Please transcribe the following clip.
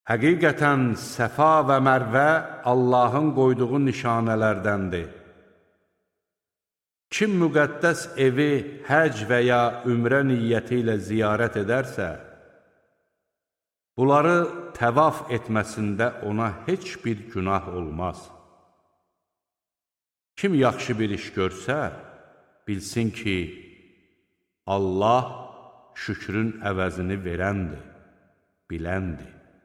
Həqiqətən Səfa və Mərvə Allahın qoyduğu nişanələrdəndir. Kim müqəddəs evi həc və ya ümrə niyyəti ilə ziyarət edərsə, bunları təvaf etməsində ona heç bir günah olmaz. Kim yaxşı bir iş görsə, bilsin ki, Allah şükrün əvəzini verəndir, biləndir.